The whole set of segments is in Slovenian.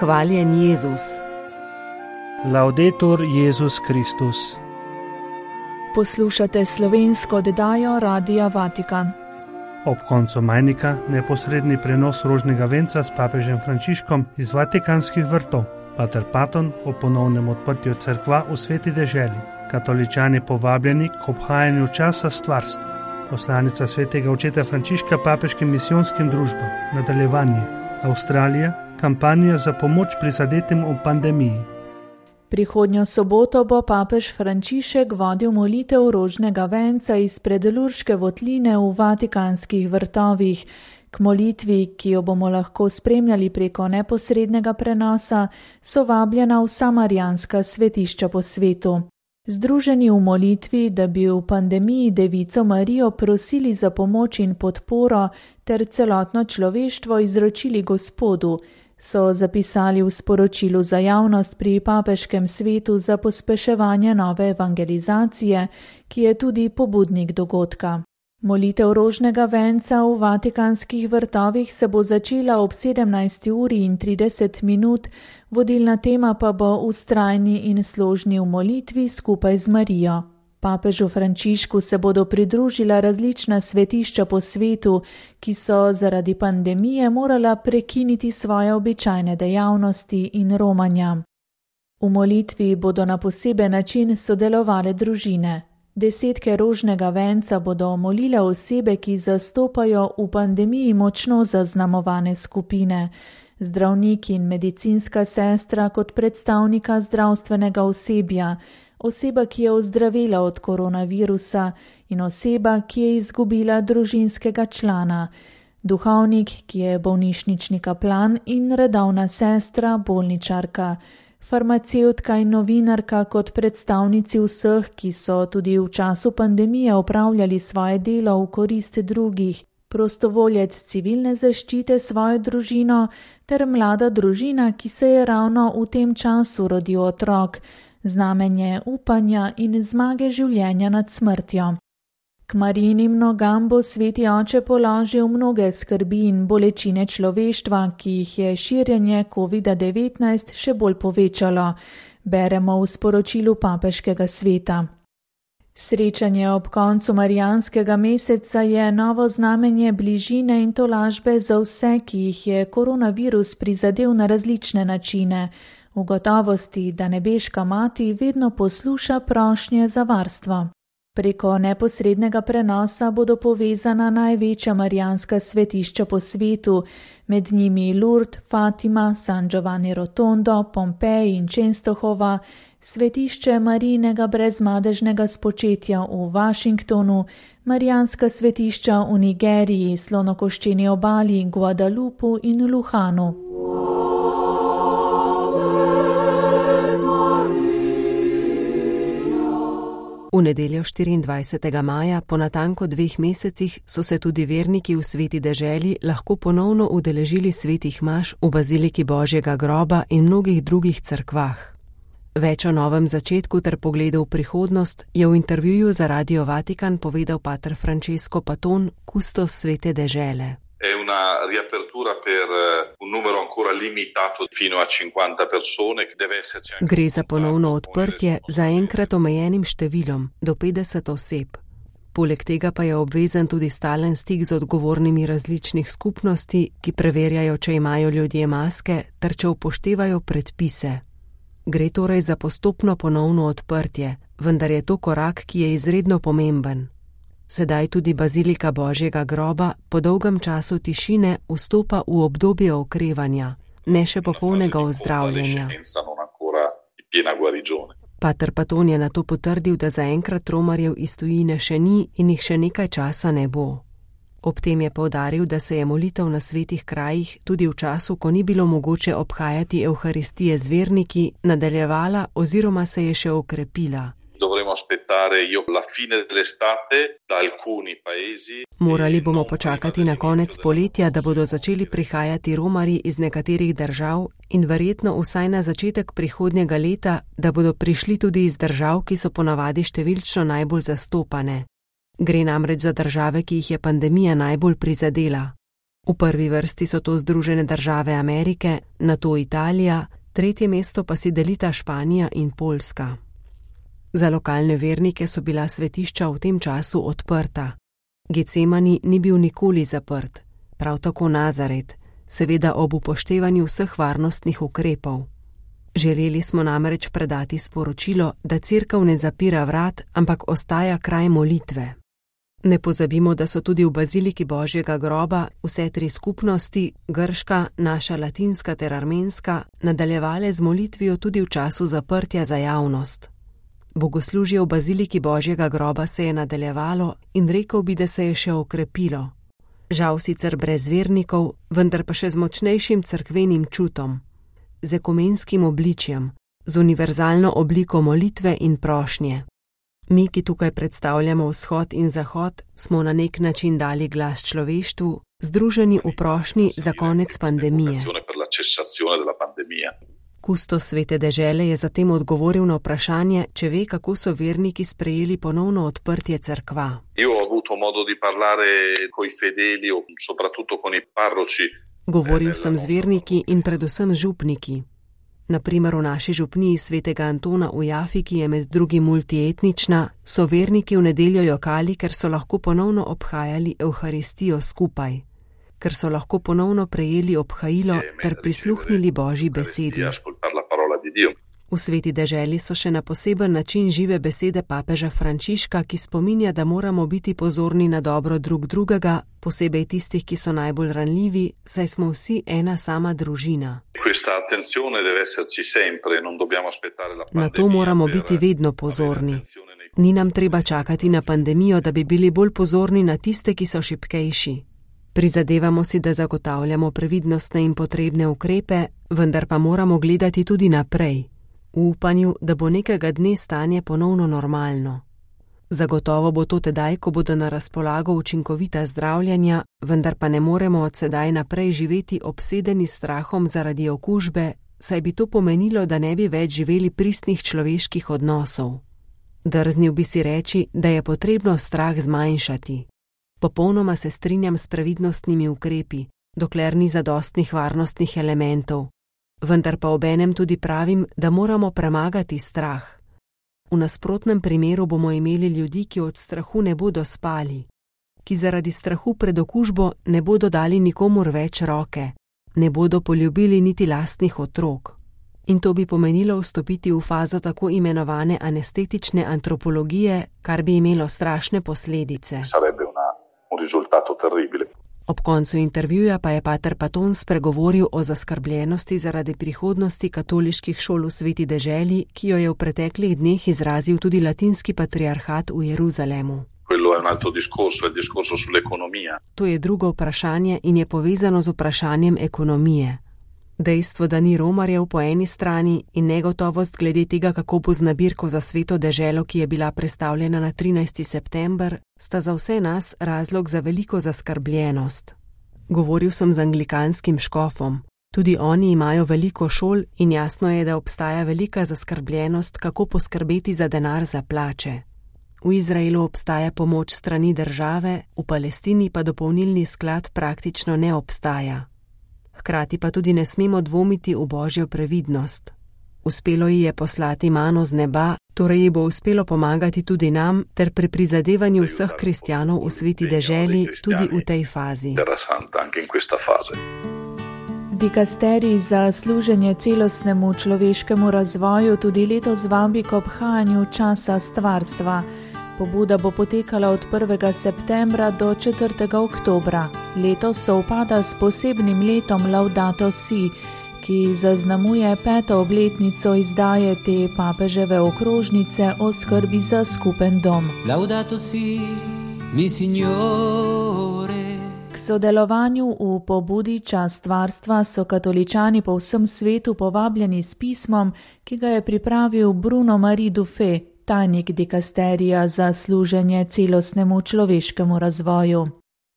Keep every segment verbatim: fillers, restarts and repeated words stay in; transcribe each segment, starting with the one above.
Hvaljen Jezus. Laudetur Jezus Kristus. Poslušate slovensko oddajo Radia Vatikan. Ob koncu majnika neposredni prenos rožnega venca s papežem Frančiškom iz Vatikanskih vrtov. Pater Paton o ponovnem odprtju cerkva v sveti deželi. Katoličani povabljeni k obhajanju časa stvarstva. Poslanica svetega očeta Frančiška papeškim misijonskim družbam. Nadaljevanje. Avstralija. Kampanja za pomoč prizadetim v pandemiji. Prihodnjo soboto bo papež Frančišek vodil molitev rožnega venca izpred Lurške votline v Vatikanskih vrtovih. K molitvi, ki jo bomo lahko spremljali preko neposrednega prenosa, so vabljena vsa marijanska svetišča po svetu. Združeni v molitvi, da bi v pandemiji Devico Marijo prosili za pomoč in podporo ter celotno človeštvo izročili Gospodu, so zapisali v sporočilu za javnost pri papeškem svetu za pospeševanje nove evangelizacije, ki je tudi pobudnik dogodka. Molitev rožnega venca v Vatikanskih vrtovih se bo začela ob sedemnajsti uri in trideset minut, vodilna tema pa bo vztrajni in složni v molitvi skupaj z Marijo. Papežu Frančišku se bodo pridružila različna svetišča po svetu, ki so zaradi pandemije morala prekiniti svoje običajne dejavnosti in romanja. V molitvi bodo na poseben način sodelovale družine. Desetke rožnega venca bodo molile osebe, ki zastopajo v pandemiji močno zaznamovane skupine, zdravniki in medicinska sestra kot predstavnika zdravstvenega osebja, oseba, ki je ozdravela od koronavirusa in oseba, ki je izgubila družinskega člana, duhovnik, ki je bolnišnični kaplan in redovna sestra, bolničarka, farmacevtka in novinarka kot predstavnici vseh, ki so tudi v času pandemije opravljali svoje delo v korist drugih, prostovoljec civilne zaščite svojo družino ter mlada družina, ki se je ravno v tem času rodil otrok, znamenje upanja in zmage življenja nad smrtjo. K Marijinim nogam bo sveti oče položil mnoge skrbi in bolečine človeštva, ki jih je širjenje kovida devetnajst še bolj povečalo, beremo v sporočilu papeškega sveta. Srečanje ob koncu marijanskega meseca je novo znamenje bližine in tolažbe za vse, ki jih je koronavirus prizadel na različne načine, v gotovosti, da nebeška mati vedno posluša prošnje za varstvo. Preko neposrednega prenosa bodo povezana največja marijanska svetišča po svetu, med njimi Lourdes, Fatima, San Giovanni Rotondo, Pompeji in Częstochowa, svetišče Marijinega brezmadežnega spočetja v Washingtonu, marijanska svetišča v Nigeriji, Slonokoščeni obali, Guadalupu in Luhanu. V nedeljo štiriindvajsetega maja, po natanko dveh mesecih, so se tudi verniki v sveti deželi lahko ponovno udeležili svetih maš v baziliki Božjega groba in mnogih drugih cerkvah. Več o novem začetku ter pogledu v prihodnost je v intervjuju za Radio Vatikan povedal pater Francesco Paton, kustos svete dežele. È una riapertura per un numero ancora limitato fino a cinquanta persone che deve esserci anche. Gre za ponovno odprtje za enkrat omejenim številom, do petdeset oseb. Poleg tega pa je obvezen tudi stalen stik z odgovornimi različnih skupnosti, ki preverjajo, če imajo ljudje maske ter če upoštevajo predpise. Gre torej za postopno ponovno odprtje, vendar je to korak, ki je izredno pomemben. Sedaj tudi bazilika Božjega groba po dolgem času tišine vstopa v obdobje okrevanja, ne še popolnega ozdravljenja. Pater Paton je nato potrdil, da zaenkrat romarjev iz tujine še ni in jih še nekaj časa ne bo. Ob tem je poudaril, da se je molitev na svetih krajih tudi v času, ko ni bilo mogoče obhajati evharistije z verniki, nadaljevala oziroma se je še okrepila. Morali bomo počakati na konec poletja, da bodo začeli prihajati romarji iz nekaterih držav in verjetno vsaj na začetek prihodnjega leta, da bodo prišli tudi iz držav, ki so ponavadi številčno najbolj zastopane. Gre namreč za države, ki jih je pandemija najbolj prizadela. V prvi vrsti so to Združene države Amerike, nato Italija, tretje mesto pa si delita Španija in Poljska. Za lokalne vernike so bila svetišča v tem času odprta. Getsemani ni bil nikoli zaprt, prav tako Nazaret, seveda ob upoštevanju vseh varnostnih ukrepov. Želeli smo namreč predati sporočilo, da cerkev ne zapira vrat, ampak ostaja kraj molitve. Ne pozabimo, da so tudi v baziliki Božjega groba vse tri skupnosti, grška, naša latinska ter armenska, nadaljevale z molitvijo tudi v času zaprtja za javnost. Bogoslužje v baziliki Božjega groba se je nadaljevalo in rekel bi, da se je še okrepilo. Žal sicer brez vernikov, vendar pa še z močnejšim cerkvenim čutom, z ekumenskim obličjem, z univerzalno obliko molitve in prošnje. Mi, ki tukaj predstavljamo vzhod in zahod, smo na nek način dali glas človeštvu, združeni v prošnji za konec pandemije. Kustos Svete dežele je zatem odgovoril na vprašanje, če ve, kako so verniki sprejeli ponovno odprtje cerkva. Govoril sem z verniki in predvsem župniki. Naprimer v naši župniji Svetega Antona v Jafi, ki je med drugim multietnična, so verniki v nedeljo jokali, ker so lahko ponovno obhajali Evharistijo skupaj, ker so lahko ponovno prejeli obhajilo ter prisluhnili Božji besedi. V Sveti deželi so še na poseben način žive besede papeža Frančiška, ki spominja, da moramo biti pozorni na dobro drug drugega, posebej tistih, ki so najbolj ranljivi, saj smo vsi ena sama družina. Na to moramo biti vedno pozorni. Ni nam treba čakati na pandemijo, da bi bili bolj pozorni na tiste, ki so šibkejši. Prizadevamo si, da zagotavljamo previdnostne in potrebne ukrepe, vendar pa moramo gledati tudi naprej, v upanju, da bo nekega dne stanje ponovno normalno. Zagotovo bo to tedaj, ko bodo na razpolago učinkovita zdravljenja, vendar pa ne moremo od sedaj naprej živeti obsedeni s strahom zaradi okužbe, saj bi to pomenilo, da ne bi več živeli pristnih človeških odnosov. Drznil bi si reči, da je potrebno strah zmanjšati. Popolnoma se strinjam s previdnostnimi ukrepi, dokler ni zadostnih varnostnih elementov, vendar pa obenem tudi pravim, da moramo premagati strah. V nasprotnem primeru bomo imeli ljudi, ki od strahu ne bodo spali, ki zaradi strahu pred okužbo ne bodo dali nikomur več roke, ne bodo poljubili niti lastnih otrok. In to bi pomenilo vstopiti v fazo tako imenovane anestetične antropologije, kar bi imelo strašne posledice. Ob koncu intervjuja pa je pater Paton spregovoril o zaskrbljenosti zaradi prihodnosti katoliških šol v Sveti deželi, ki jo je v preteklih dneh izrazil tudi latinski patriarhat v Jeruzalemu. To je drugo vprašanje in je povezano z vprašanjem ekonomije. Dejstvo, da ni romarjev po eni strani in negotovost glede tega, kako bo z nabirko za Sveto deželo, ki je bila prestavljena na trinajsti september, sta za vse nas razlog za veliko zaskrbljenost. Govoril sem z anglikanskim škofom. Tudi oni imajo veliko šol in jasno je, da obstaja velika zaskrbljenost, kako poskrbeti za denar za plače. V Izraelu obstaja pomoč strani države, v Palestini pa dopolnilni sklad praktično ne obstaja. Hkrati pa tudi ne smemo dvomiti v Božjo previdnost. Uspelo ji je poslati mano z neba, torej ji bo uspelo pomagati tudi nam ter pri prizadevanju vseh kristjanov v Sveti deželi tudi v tej fazi. Dikasterij za služenje celostnemu človeškemu razvoju tudi letos vabi k obhajanju časa stvarstva. Pobuda bo potekala od prvega septembra do četrtega oktobra. Letos sovpada s posebnim letom Laudato Si, ki zaznamuje peto obletnico izdaje te papeževe okrožnice o skrbi za skupen dom. Laudato Si, mi signore. K sodelovanju v pobudi Čas stvarstva so katoličani po vsem svetu povabljeni s pismom, ki ga je pripravil Bruno Marie Dufay, tajnik dikasterija za služenje celostnemu človeškemu razvoju.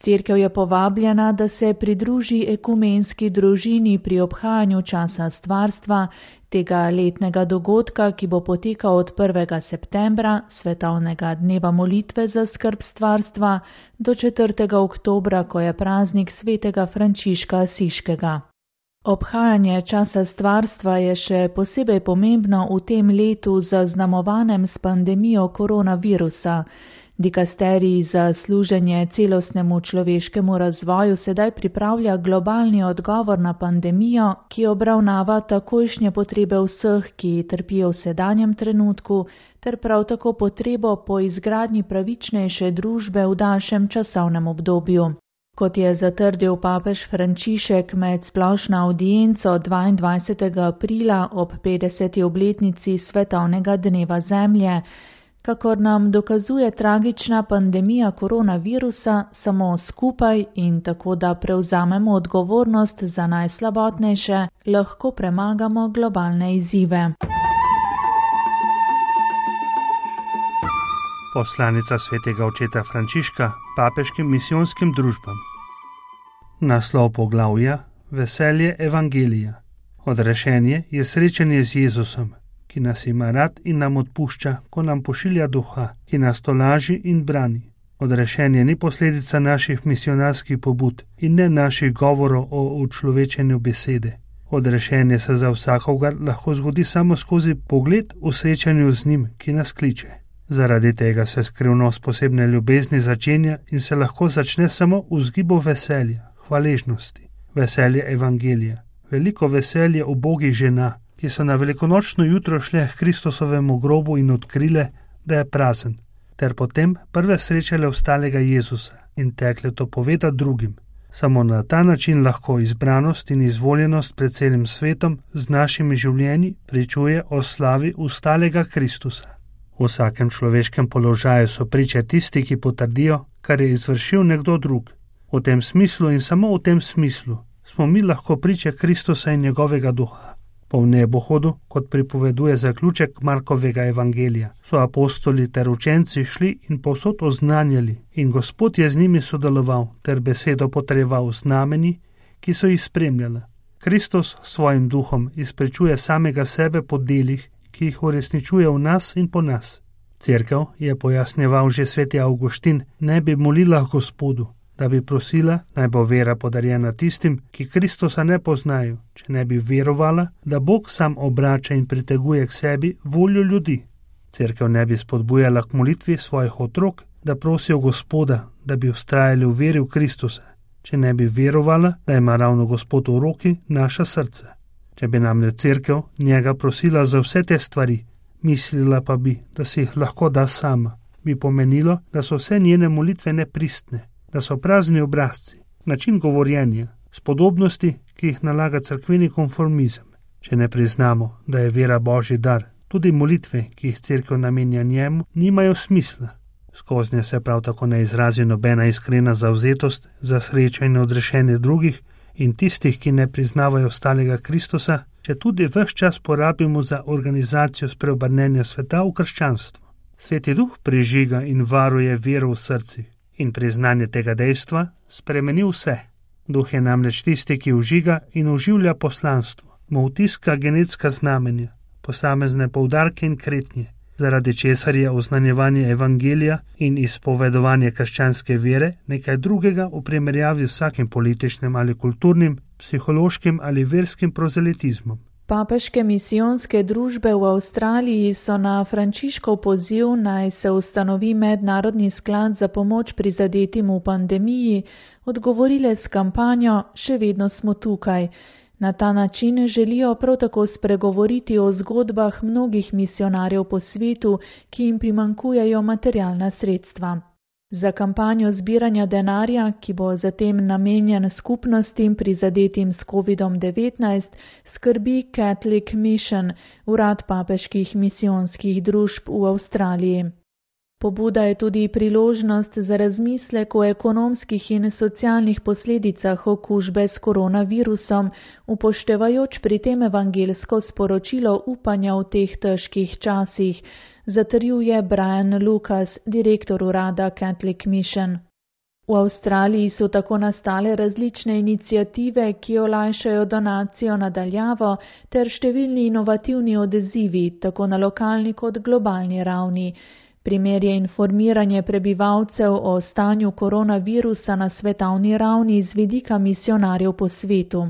Cerkev je povabljena, da se pridruži ekumenski družini pri obhajanju časa stvarstva, tega letnega dogodka, ki bo potekal od prvega septembra, svetovnega dneva molitve za skrb stvarstva, do četrtega oktobra, ko je praznik svetega Frančiška Asiškega. Obhajanje časa stvarstva je še posebej pomembno v tem letu zaznamovanem s pandemijo koronavirusa. Dikasterij za služenje celostnemu človeškemu razvoju sedaj pripravlja globalni odgovor na pandemijo, ki obravnava takojšnje potrebe vseh, ki trpijo v sedanjem trenutku, ter prav tako potrebo po izgradnji pravičnejše družbe v daljšem časovnem obdobju. Kot je zatrdil papež Frančišek med splošno avdienco dvaindvajsetega aprila ob petdeseti obletnici svetovnega dneva Zemlje, kakor nam dokazuje tragična pandemija koronavirusa, samo skupaj in tako, da prevzamemo odgovornost za najslabotnejše, lahko premagamo globalne izzive. Poslanica svetega očeta Frančiška papeškim misijonskim družbam. Naslov poglavja: Veselje evangelija. Odrešenje je srečanje z Jezusom, ki nas ima rad in nam odpušča, ko nam pošilja duha, ki nas tolaži in brani. Odrešenje ni posledica naših misionarskih pobud in ne naših govorov o učlovečenju besede. Odrešenje se za vsakogar lahko zgodi samo skozi pogled v srečanju z njim, ki nas kliče. Zaradi tega se skrivnost posebne ljubezni začenja in se lahko začne samo v vzgibu veselja, hvaležnosti, veselje evangelija, veliko veselje ubogih žena, ki so na velikonočno jutro šle k Kristusovemu grobu in odkrile, da je prazen, ter potem prve srečale ostalega Jezusa in tekle to povedati drugim. Samo na ta način lahko izbranost in izvoljenost pred celim svetom z našimi življenji pričuje o slavi ostalega Kristusa. V vsakem človeškem položaju so priče tisti, ki potrdijo, kar je izvršil nekdo drug. V tem smislu in samo v tem smislu smo mi lahko priče Kristusa in njegovega duha. Po nebohodu, kot pripoveduje zaključek Markovega evangelija, so apostoli ter učenci šli in povsod oznanjali in Gospod je z njimi sodeloval ter besedo potrjeval znameni, ki so jih spremljala. Kristus s svojim duhom izprečuje samega sebe po delih, ki jih uresničuje v nas in po nas. Cerkev, je pojasnjeval že sveti Avguštin, ne bi molila Gospodu, da bi prosila, naj bo vera podarjena tistim, ki Kristusa ne poznajo, če ne bi verovala, da Bog sam obrača in priteguje k sebi voljo ljudi. Cerkev ne bi spodbujala k molitvi svojih otrok, da prosijo Gospoda, da bi vztrajali v veri v Kristusa, če ne bi verovala, da ima ravno Gospod v roki naša srca. Če bi namreč cerkev njega prosila za vse te stvari, mislila pa bi, da si jih lahko da sama, bi pomenilo, da so vse njene molitve nepristne, da so prazni obrazci, način govorjenja, spodobnosti, ki jih nalaga cerkveni konformizem. Če ne priznamo, da je vera Božji dar, tudi molitve, ki jih cerkev namenja njemu, nimajo smisla. Skoznje se prav tako ne izrazi nobena iskrena zavzetost za srečo in odrešenje drugih in tistih, ki ne priznavajo ostalega Kristusa, če tudi ves čas porabimo za organizacijo spreobrnenja sveta v krščanstvo. Sveti Duh prižiga in varuje vero v srcih in priznanje tega dejstva spremeni vse. Duh je namreč tisti, ki užiga in oživlja poslanstvo, mu vtiska genetska znamenja, posamezne poudarke in kretnje, zaradi česar je oznanjevanje evangelija in izpovedovanje krščanske vere nekaj drugega v primerjavi z vsakim političnim ali kulturnim, psihološkim ali verskim prozelitizmom. Papeške misijonske družbe v Avstraliji so na Frančiškov poziv, naj se ustanovi mednarodni sklad za pomoč prizadetim v pandemiji, odgovorile s kampanjo Še vedno smo tukaj. Na ta način želijo prav tako spregovoriti o zgodbah mnogih misijonarjev po svetu, ki jim primanjkujejo materialna sredstva. Za kampanjo zbiranja denarja, ki bo zatem namenjen skupnostim prizadetim s kovidom devetnajst, skrbi Catholic Mission, urad papeških misijonskih družb v Avstraliji. Pobuda je tudi priložnost za razmislek o ekonomskih in socialnih posledicah okužbe s koronavirusom, upoštevajoč pri tem evangelsko sporočilo upanja v teh težkih časih, zatrjuje Brian Lucas, direktor urada Catholic Mission. V Avstraliji so tako nastale različne iniciative, ki olajšajo donacijo na daljavo, ter številni inovativni odzivi, tako na lokalni kot globalni ravni. Primer je informiranje prebivalcev o stanju koronavirusa na svetovni ravni z vidika misionarjev po svetu.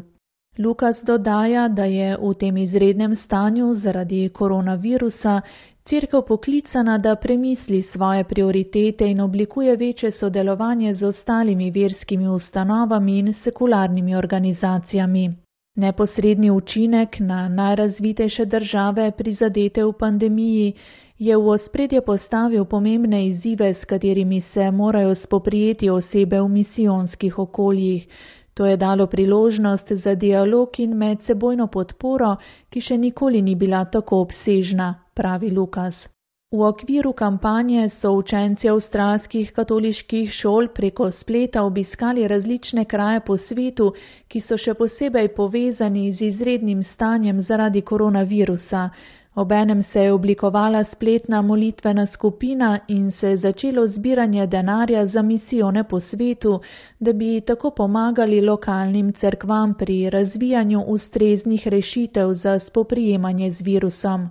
Lukas dodaja, da je v tem izrednem stanju zaradi koronavirusa Cerkev poklicana, da premisli svoje prioritete in oblikuje večje sodelovanje z ostalimi verskimi ustanovami in sekularnimi organizacijami. Neposredni učinek na najrazvitejše države prizadete v pandemiji je v ospredje postavil pomembne izzive, s katerimi se morajo spoprijeti osebe v misijonskih okoljih. To je dalo priložnost za dialog in medsebojno podporo, ki še nikoli ni bila tako obsežna, pravi Lukas. V okviru kampanje so učenci avstralskih katoliških šol preko spleta obiskali različne kraje po svetu, ki so še posebej povezani z izrednim stanjem zaradi koronavirusa. Obenem se je oblikovala spletna molitvena skupina in se je začelo zbiranje denarja za misijone po svetu, da bi tako pomagali lokalnim cerkvam pri razvijanju ustreznih rešitev za spoprijemanje z virusom.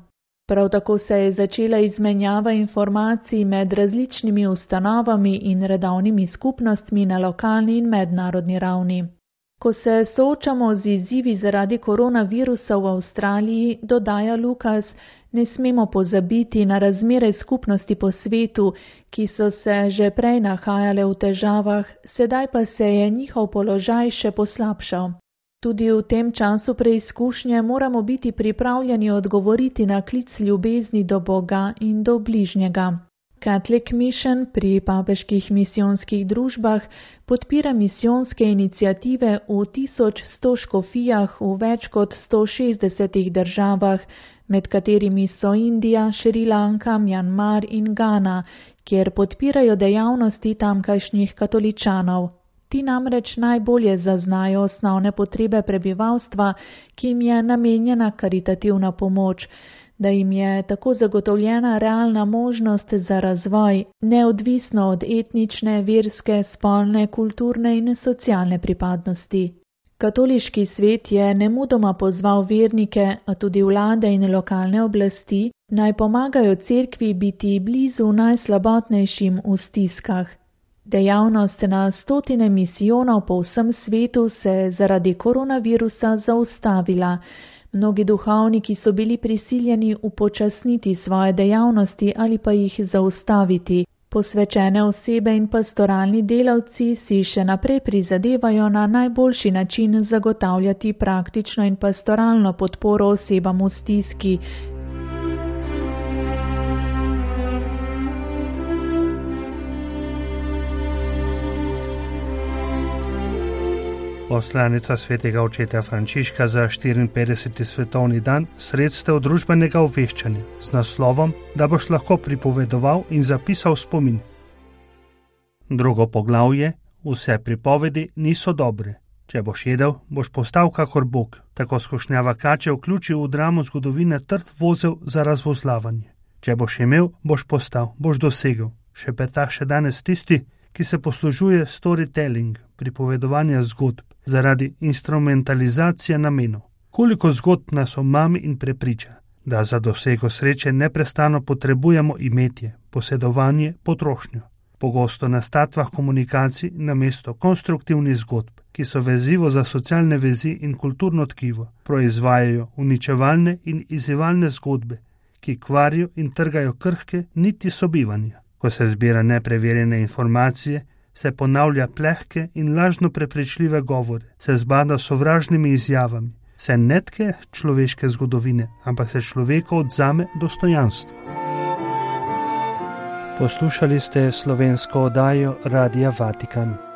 Prav tako se je začela izmenjava informacij med različnimi ustanovami in redovnimi skupnostmi na lokalni in mednarodni ravni. Ko se soočamo z izzivi zaradi koronavirusa v Avstraliji, dodaja Lukas, ne smemo pozabiti na razmere skupnosti po svetu, ki so se že prej nahajale v težavah, sedaj pa se je njihov položaj še poslabšal. Tudi v tem času preizkušnje moramo biti pripravljeni odgovoriti na klic ljubezni do Boga in do bližnjega. Catholic Mission pri papeških misijonskih družbah podpira misijonske iniciative v tisoč sto škofijah v več kot sto šestdesetih državah, med katerimi so Indija, Šrilanka, Mjanmar in Gana, kjer podpirajo dejavnosti tamkajšnjih katoličanov. Ti namreč najbolje zaznajo osnovne potrebe prebivalstva, ki jim je namenjena karitativna pomoč, da jim je tako zagotovljena realna možnost za razvoj, neodvisno od etnične, verske, spolne, kulturne in socialne pripadnosti. Katoliški svet je nemudoma pozval vernike, a tudi vlade in lokalne oblasti, naj pomagajo cerkvi biti blizu najslabotnejšim v stiskah. Dejavnost na stotine misijonov po vsem svetu se je zaradi koronavirusa zaustavila. Mnogi duhovniki so bili prisiljeni upočasniti svoje dejavnosti ali pa jih zaustaviti. Posvečene osebe in pastoralni delavci si še naprej prizadevajo na najboljši način zagotavljati praktično in pastoralno podporo osebam v stiski. Poslanica svetega očeta Frančiška za štiriinpetdeseti svetovni dan sredstev družbenega obveščanja z naslovom, da boš lahko pripovedoval in zapisal spomin. Drugo poglavje: vse pripovedi niso dobre. Če boš jedel, boš postal kakor Bog. Tako skušnjava kače vključi v dramo zgodovine trd vozel za razvozlavanje. Če boš imel, boš postal, boš dosegel. Šepeta še danes tisti, ki se poslužuje storytelling, pripovedovanja zgodb, zaradi instrumentalizacije namenov. Koliko zgodb nas omami in prepriča, da za dosego sreče neprestano potrebujemo imetje, posedovanje, potrošnjo. Pogosto na statvah komunikacij namesto konstruktivnih zgodb, ki so vezivo za socialne vezi in kulturno tkivo, proizvajajo uničevalne in izzivalne zgodbe, ki kvarijo in trgajo krhke niti sobivanja. Ko se zbira nepreverjene informacije, se ponavlja plehke in lažno prepričljive govore, se zbada sovražnimi izjavami, se netke človeške zgodovine, ampak se človeku odzame dostojanstvo. Poslušali ste slovensko oddajo Radia Vatikan.